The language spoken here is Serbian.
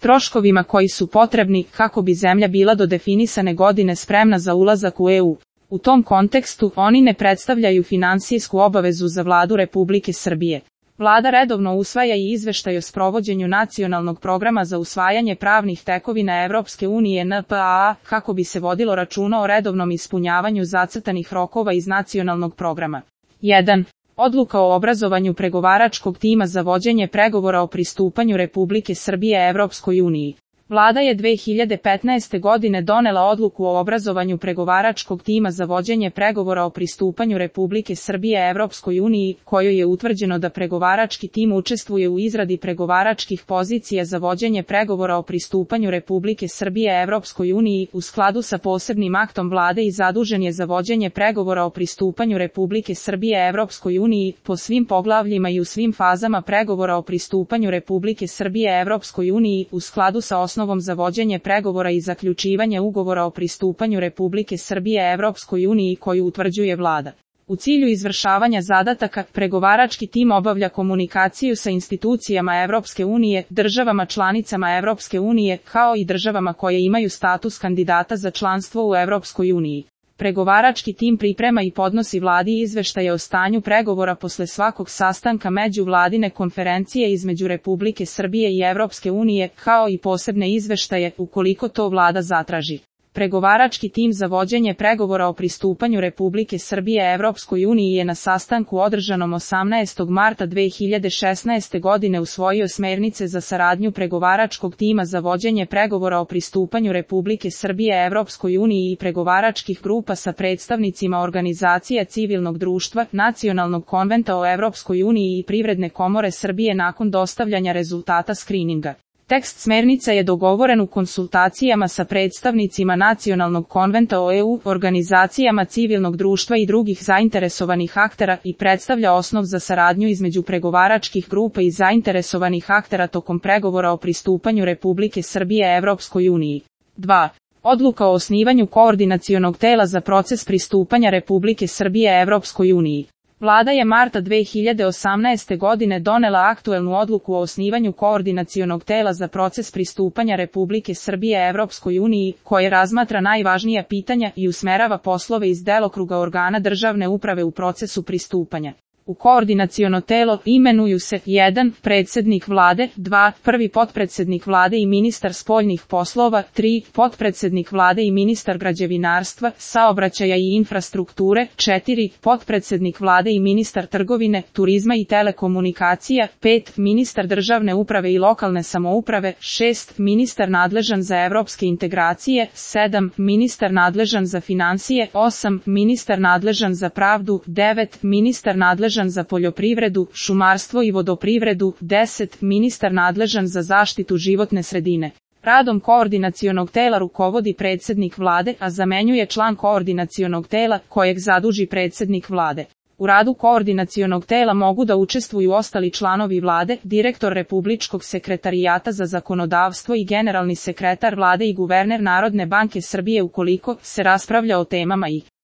troškovima koji su potrebni kako bi zemlja bila do definisane godine spremna za ulazak u EU. U tom kontekstu, oni ne predstavljaju finansijsku obavezu za Vladu Republike Srbije. Vlada redovno usvaja i izveštaj o sprovođenju nacionalnog programa za usvajanje pravnih tekovina Evropske unije NPA, kako bi se vodilo računa o redovnom ispunjavanju zacrtanih rokova iz nacionalnog programa. 1. Odluka o obrazovanju pregovaračkog tima za vođenje pregovora o pristupanju Republike Srbije Evropskoj uniji. Vlada je 2015. godine donela odluku o obrazovanju pregovaračkog tima za vođenje pregovora o pristupanju Republike Srbije Evropskoj uniji, kojoj je utvrđeno da pregovarački tim učestvuje u izradi pregovaračkih pozicija za vođenje pregovora o pristupanju Republike Srbije Evropskoj uniji u skladu sa posebnim aktom Vlade i zadužen je za vođenje pregovora o pristupanju Republike Srbije Evropskoj uniji po svim poglavljima i u svim fazama pregovora o pristupanju Republike Srbije Evropskoj uniji u skladu sa osnovom za vođenje pregovora i zaključivanje ugovora o pristupanju Republike Srbije Evropskoj uniji koju utvrđuje Vlada. U cilju izvršavanja zadataka, pregovarački tim obavlja komunikaciju sa institucijama Evropske unije, državama članicama Evropske unije, kao i državama koje imaju status kandidata za članstvo u Evropskoj uniji. Pregovarački tim priprema i podnosi Vladi izveštaje o stanju pregovora posle svakog sastanka međuvladine konferencije između Republike Srbije i Evropske unije, kao i posebne izveštaje, ukoliko to Vlada zatraži. Pregovarački tim za vođenje pregovora o pristupanju Republike Srbije Evropskoj uniji je na sastanku održanom 18. marta 2016. godine usvojio smernice za saradnju pregovaračkog tima za vođenje pregovora o pristupanju Republike Srbije Evropskoj uniji i pregovaračkih grupa sa predstavnicima organizacija civilnog društva, Nacionalnog konventa o Evropskoj uniji i Privredne komore Srbije nakon dostavljanja rezultata skrininga. Tekst smernica je dogovoren u konsultacijama sa predstavnicima Nacionalnog konventa o EU, organizacijama civilnog društva i drugih zainteresovanih aktera i predstavlja osnov za saradnju između pregovaračkih grupa i zainteresovanih aktera tokom pregovora o pristupanju Republike Srbije Evropskoj uniji. 2. Odluka o osnivanju koordinacionog tela za proces pristupanja Republike Srbije Evropskoj uniji. Vlada je marta 2018. godine donela aktuelnu odluku o osnivanju koordinacionog tela za proces pristupanja Republike Srbije Evropskoj uniji, koje razmatra najvažnija pitanja i usmerava poslove iz delokruga organa državne uprave u procesu pristupanja. U koordinaciono telo imenuju se 1. Predsednik Vlade, 2. Prvi potpredsednik Vlade i ministar spoljnih poslova, 3. Potpredsednik Vlade i ministar građevinarstva, saobraćaja i infrastrukture, 4. Potpredsednik Vlade i ministar trgovine, turizma i telekomunikacija, 5. Ministar državne uprave i lokalne samouprave, 6. Ministar nadležan za evropske integracije, 7. Ministar nadležan za finansije, 8. Ministar nadležan za pravdu, 9. Ministar nadležan za poljoprivredu, šumarstvo i vodoprivredu, 10. Ministar nadležan za zaštitu životne sredine. Radom koordinacionog tela rukovodi predsednik Vlade, a zamenjuje član koordinacionog tela, kojeg zaduži predsednik Vlade. U radu koordinacionog tela mogu da učestvuju ostali članovi Vlade, direktor Republičkog sekretarijata za zakonodavstvo i generalni sekretar Vlade i guverner Narodne banke Srbije ukoliko se raspravlja o temama i